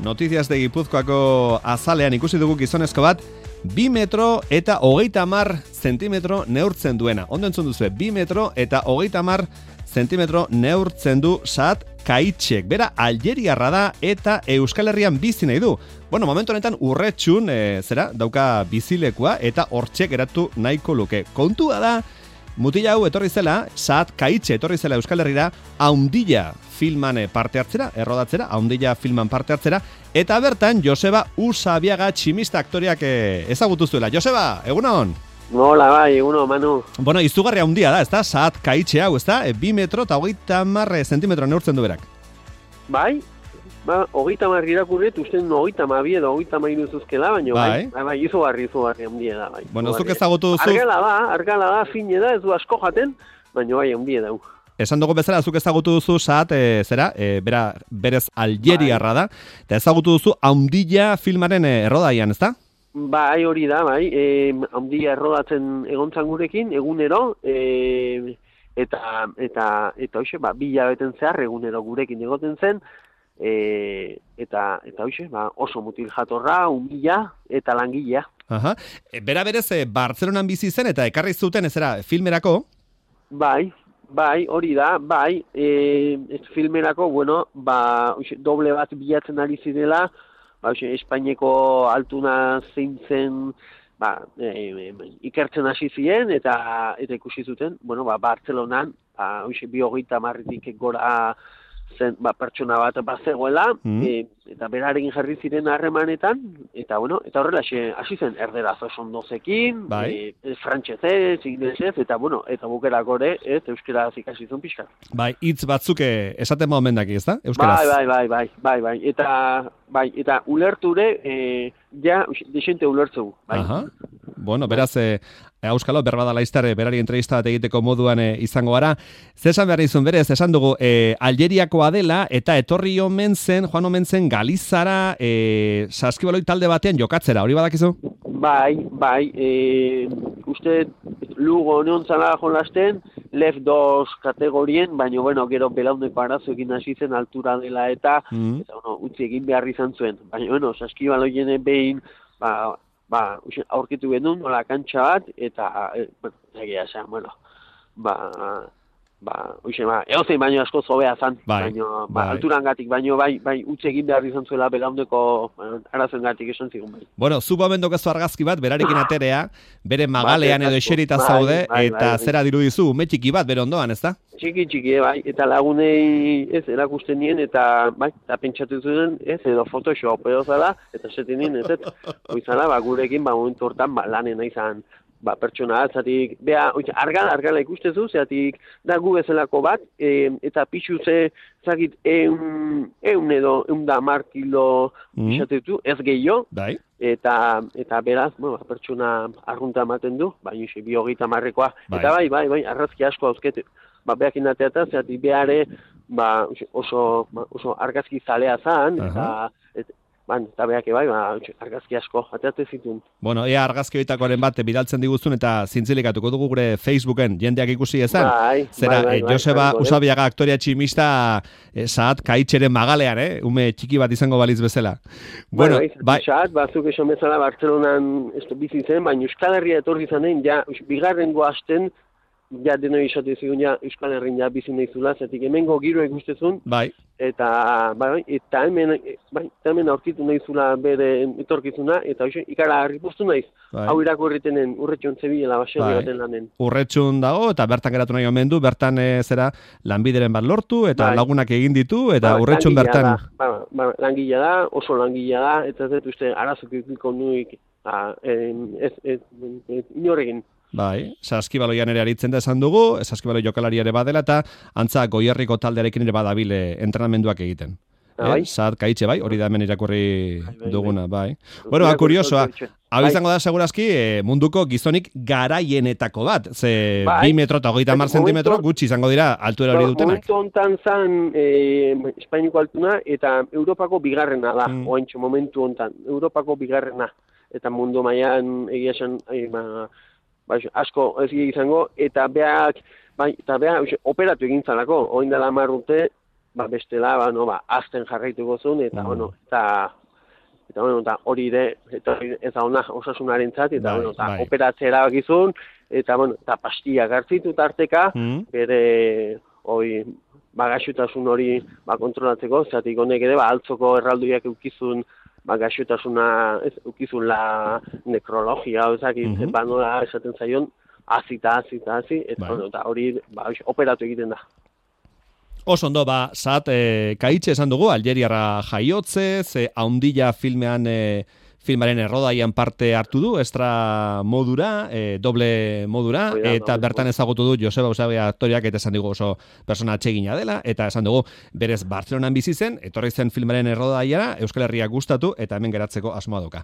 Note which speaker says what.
Speaker 1: Notizias de Gipuzkoako azalean ikusi dugu gizonezko bat, 2 metro eta 30 zentimetro neurtzen duena. Ondo entzun duzu, 2 metro eta 30 zentimetro neurtzen du Saad Kaitxek. Bera, Aljeriarra da eta Euskal Herrian bizi nahi du. Bueno, momentu honetan Urretxun, dauka bizilekua eta hortxe geratu nahiko luke. Kontua da, mutila hau etorri zela, Saad Kaitxe etorri zela Euskal Herrira, Haundilla filman parte hartzera, errodatzera, Haundilla filman parte hartzera, eta bertan Joseba Usabiaga tximista aktoriak ezagutu zuela. Joseba, egunon?
Speaker 2: Nola, bai, egunon, Manu.
Speaker 1: Bueno, izugarri haundia da, ezta? Saad Kaitxe hau, ezta? 2 metro eta 30 zentimetro neurtzen du berak.
Speaker 2: Bai, 30 irakurret, usten 32 edo 33 zuzkela, baina bai, izugarri haundia da, bai.
Speaker 1: Bueno, zuk ezagutu duzu...
Speaker 2: Argala da, fine da, ez du asko jaten, baina bai, haundia da.
Speaker 1: Esan dugu bezala, zuk ezagutu duzu Saad, berez Aljeriarra da, eta ezagutu duzu Haundilla filmaren errodaian, ezta?
Speaker 2: Bai, hori da, bai, Haundilla errodatzen egontzan gurekin, egunero, eta hoxe, 2 hilabeten zehar egunero gurekin egoten zen, eta hoxe, oso mutil jatorra, umila eta langilea.
Speaker 1: Aha. Bera berez, Bartzelonan bizi zen eta ekarri zuten ezera filmerako?
Speaker 2: Bai, hori da, bai, filmerako, bueno, doble bat bilatzen ari zirela, Espainiako altuna zein zen, ikertzen hasi ziren, eta ikusi zuten, bueno, Bartzelonan, 20-30 gora zen, pertsona bat zegoela, eta berarekin jarri ziren harremanetan, eta bueno, eta horrela hasi zen erderaz oso ondozekin, frantsesez, ingelesez, eta bueno, eta bukerako ere, euskaraz ikasi zuen pixka.
Speaker 1: Bai, hitz batzuk esaten momendaki, ezta? Euskaraz.
Speaker 2: Bai, eta ulerture, desente ulertzeu, bai.
Speaker 1: Aha. Bueno, beraz, Auskalo, berbada laiztar, berari entrevista bat egiteko moduan izango gara. Zesan behar izun berez, esan dugu, Aljeriakoa dela, eta joan omen zen Galizara, saskibaloi talde batean jokatzera, hori badakizu?
Speaker 2: Bai, uste Lugo neontzala jolasten, Lef 2 kategorien, baina, bueno, gero belauneko arazoekin hasi zen altura dela eta utzi egin behar izan zuen. Baina, bueno, saskibaloien behin, aurkitu genuen, nola kantxa bat, eta, egia esan, bueno, egozein baino asko zobea zan, alturangatik, baino bai, utzi egin behar izan zuela belauneko arazoengatik esan zigun bai.
Speaker 1: Bueno, zu bomendok ez argazki bat, berarekin aterea, bere magalean edo eserita zaude, eta zera dirudizu, ume txiki bat, bere ondoan, ez da?
Speaker 2: Txiki, bai, eta lagunei ez erakusten nien, eta pentsatu zuen, ez, edo Photoshop edo zala, eta esaten nien, ez, oizala, gurekin, momentu hortan, lanen izan, pertsona atzatik, argala ikustezu, zeatik da gu bezalako bat, eta pixu zakit, 110 kilo izatetu, ez gehiago, eta beraz, pertsona arrunta ematen du, baina 230koa, eta bai, arrazki asko hauzketu. Behakin ateata, zeatik behare, oso argazki zalea zan, eta behake argazki asko, ateate zituen.
Speaker 1: Bueno, ea argazki horitakoaren bat bidaltzen diguzun eta zintzilikatuko dugu gure Facebooken jendeak ikusi ezan. Joseba Usabiaga aktorea tximista Saad Kaitxeren magalean, ume txiki bat izango baliz bezala.
Speaker 2: Bueno, Saad, bazuk esan bezala Bartzelonan bizi zen, baina Euskal Herria etorri zanen, bigarrengo hasten, denoi esate zigun Euskal Herrin bizi nahi zula, zetik hemengo giro ikustezun, eta hemen aurkitu nahi zula bere etorkizuna, eta ikara harripostu naiz, hau irakurritenen Urretxun zebilela baserri baten lanen.
Speaker 1: Urretxun dago, eta bertan geratu nahi omen du, bertan zera lanbideren bat lortu, eta lagunak egin ditu, eta Urretxun bertan...
Speaker 2: Langila da, oso langila da, eta ez dut uste arazuk ikiko nuik, inorekin.
Speaker 1: Bai, saskibaloian ere aritzen da esan dugu, saskibaloi jokalari ere badela eta antza Goierriko taldearekin ere badabile entrenamenduak egiten. Saad Kaitxe, hori da hemen irakurri duguna, bai. Bueno, kuriosoa, hau izango da segurazki munduko gizonik garaienetako bat, ze 2 metro eta 30 zentimetro gutxi izango dira altuera hori dutenak.
Speaker 2: Momentu hontan zan Espainiako altuna eta Europako bigarrena da, oaintxo momentu hontan, Europako bigarrena, eta mundu mailan egia esan asko ez izango, eta behak operatu egin zalako, oin dela 10 urte, bestela, azten jarraituko zuen, eta, eta hori ere, ez da ona osasunaren zat, eta, operatzea erabakizun, eta, eta pastia gartzitu tarteka, bere, gaixotasun hori kontrolatzeko, zatik honek ere, altzoko erraldoiak eukizun, gaixotasuna, eukizun la nekrologia, nola esaten zaion, hazi, eta hori operatu egiten da.
Speaker 1: Oso ondo, Saad Kaitxe esan dugu, Aljeriarra jaiotzez, Haundilla filmaren errodaian parte hartu du, extra modura, doble modura, eta bertan ezagutu du Joseba Eusebia aktoriak, eta esan dugu oso persona atsegina dela, eta esan dugu berez Bartzelonan bizi zen, etorri zen filmaren errodaiara, Euskal Herria gustatu, eta hemen geratzeko asmoa dauka.